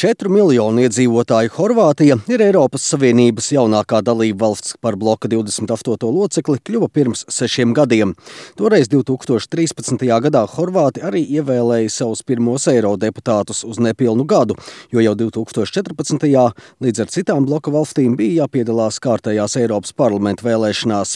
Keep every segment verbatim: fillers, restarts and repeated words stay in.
Četru miljonu iedzīvotāju Horvātija ir Eiropas Savienības jaunākā dalība valsts. Par bloka divdesmit astoto locekli kļuva pirms sešiem gadiem. Toreiz divi tūkstoši trīspadsmitajā gadā Horvāti arī ievēlēja savus pirmos eirodeputātus uz nepilnu gadu, jo jau divi tūkstoši četrpadsmitajā līdz ar citām bloka valstīm bija jāpiedalās kārtējās Eiropas parlamenta vēlēšanās.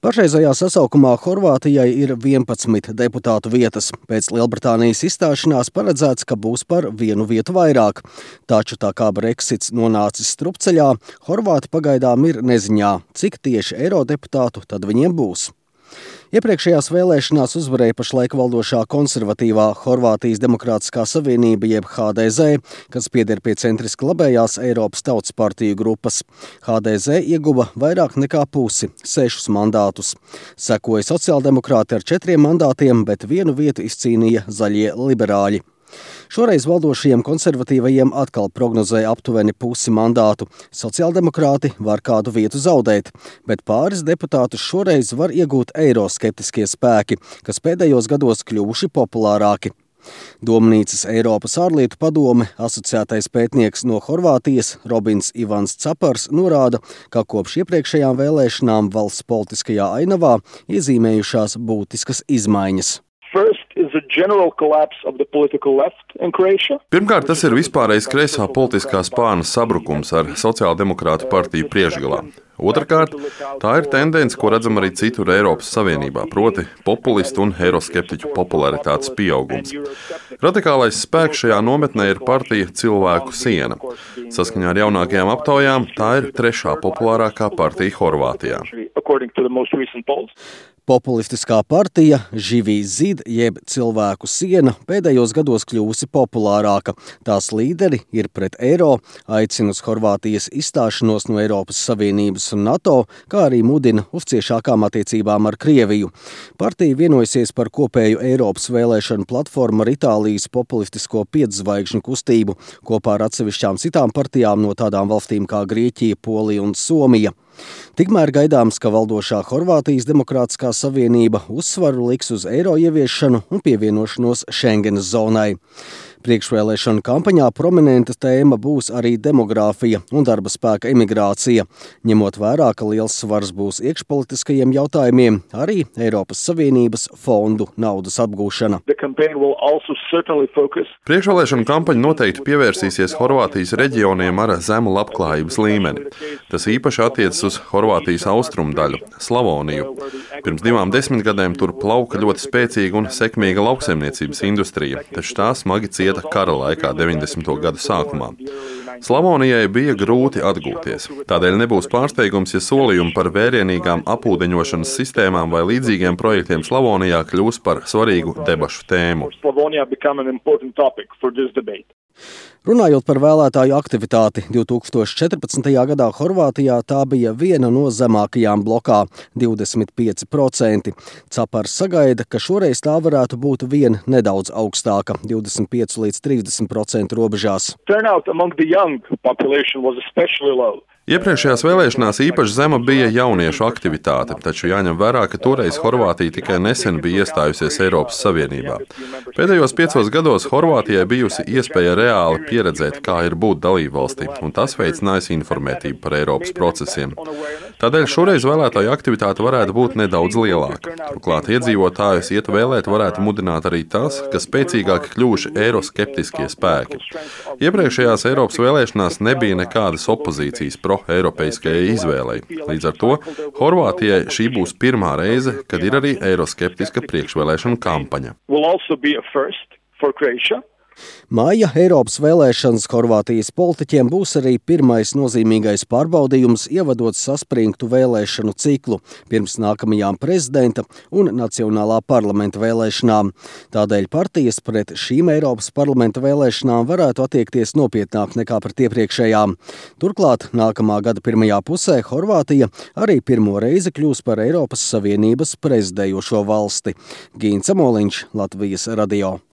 Pašreizajā sasaukumā Horvātijai ir vienpadsmit deputātu vietas. Pēc Lielbritānijas izstāšanās paredzēts, ka būs par vienu vietu vairāk. Taču tā kā Brexits nonācis strupceļā, Horvāti pagaidām ir neziņā, cik tieši eirodeputātu tad viņiem būs. Iepriekšējās vēlēšanās uzvarēja pašlaik valdošā konservatīvā Horvātijas Demokrātiskā savienība jeb H D Z, kas pieder pie centriski labējās Eiropas Tautas partiju grupas. H D Z ieguva vairāk nekā pusi, sešus mandātus. Sekoja sociāldemokrāti ar četriem mandātiem, bet vienu vietu izcīnīja zaļie liberāļi. Šoreiz valdošajiem konservatīvajiem atkal prognozēja aptuveni pusi mandātu. Sociāldemokrāti var kādu vietu zaudēt, bet pāris deputātus šoreiz var iegūt eiroskeptiskie spēki, kas pēdējos gados kļuvuši populārāki. Domnīcas Eiropas ārlietu padome asociētais pētnieks no Horvātijas Robins Ivans Capars norāda, ka kopš iepriekšējām vēlēšanām valsts politiskajā ainavā iezīmējušās būtiskas izmaiņas. Pirmkārt, tas ir vispārējais kreisā politiskā spārna sabrukums ar sociāldemokrātu partiju priekšgalā. Otrakārt, tā ir tendence, ko redzam arī citur Eiropas Savienībā, proti populistu un eiroskeptiķu popularitātes pieaugums. Radikālais spēks šajā nometnē ir partija Cilvēku siena. Saskaņā ar jaunākajām aptaujām tā ir trešā populārākā partija Horvātijā. Populistiskā partija Živi zid jeb Cilvēku siena pēdējos gados kļūsi populārāka. Tās līderi ir pret eiro, aicina uz Horvātijas izstāšanos no Eiropas Savienības un NATO, kā arī mudina uz ciešākām attiecībām ar Krieviju. Partija vienojusies par kopēju Eiropas vēlēšanu platformu ar Itālijas populistisko pietzvaigžņu kustību, kopā ar atsevišķām citām partijām no tādām valstīm kā Grieķija, Polija un Somija. Tikmēr gaidāms, ka valdošā Horvātijas Demokrātiskā savienība uzsvaru liks uz eiro ieviešanu un pievienošanos Schengenas zonai. Priekšvēlēšanu kampaņā prominenta tēma būs arī demogrāfija un darba spēka emigrācija. Ņemot vērā, ka liels svars būs iekšpolitiskajiem jautājumiem, arī Eiropas Savienības fondu naudas apgūšana. Priekšvēlēšanu kampaņa noteikti pievērsīsies Horvātijas reģioniem ar zemu labklājības līmeni. Tas īpaši attiecas uz Horvātijas austrumu daļu, Slavoniju. Pirms divām desmitgadēm tur plauka ļoti spēcīga un sekmīga lauksaimniecības industrija, taču tā smagi cieta kara laikā deviņdesmito gadu sākumā. Slavonijai bija grūti atgūties. Tādēļ nebūs pārsteigums, ja solījumi par vērienīgām apūdeņošanas sistēmām vai līdzīgiem projektiem Slavonijā kļūs par svarīgu debašu tēmu. Runājot par vēlētāju aktivitāti, divi tūkstoši četrpadsmitajā gadā Horvātijā tā bija viena no zemākajām blokā – divdesmit pieci procenti. Capars sagaida, ka šoreiz tā varētu būt vien nedaudz augstāka – divdesmit pieci līdz trīsdesmit procentu robežās. Iepriekšējās vēlēšanās īpaši zema bija jauniešu aktivitāte, taču jāņem vērā, ka toreiz Horvātija tikai nesen bija iestājusies Eiropas Savienībā. Pēdējos piecos gados Horvātijai bijusi iespēja reāli pieredzēt, kā ir būt dalībvalstī, un tas veicinājusi informētību par Eiropas procesiem. Tādēļ šoreiz vēlētāju aktivitāte varētu būt nedaudz lielāka. Turklāt iedzīvotājus iet vēlēt varētu mudināt arī tas, ka spēcīgāk kļuvuši eiroskeptiskie spēki. Iepriekšējās Eiropas vēlēšanās nebija nekādas opozīcijas pro-eiropeiskajai izvēlei. Līdz ar to Horvātijai šī būs pirmā reize, kad ir arī eiroskeptiska priekšvēlēšana kampaņa. Māja Eiropas vēlēšanas Horvātijas politiķiem būs arī pirmais nozīmīgais pārbaudījums, ievadot saspringtu vēlēšanu ciklu pirms nākamajām prezidenta un nacionālā parlamenta vēlēšanām. Tādēļ partijas pret šīm Eiropas parlamenta vēlēšanām varētu attiekties nopietnāk nekā pret iepriekšējām. Turklāt nākamā gada pirmajā pusē Horvātija arī pirmo reizi kļūs par Eiropas Savienības prezidējošo valsti. Gīns Amoliņš, Latvijas radio.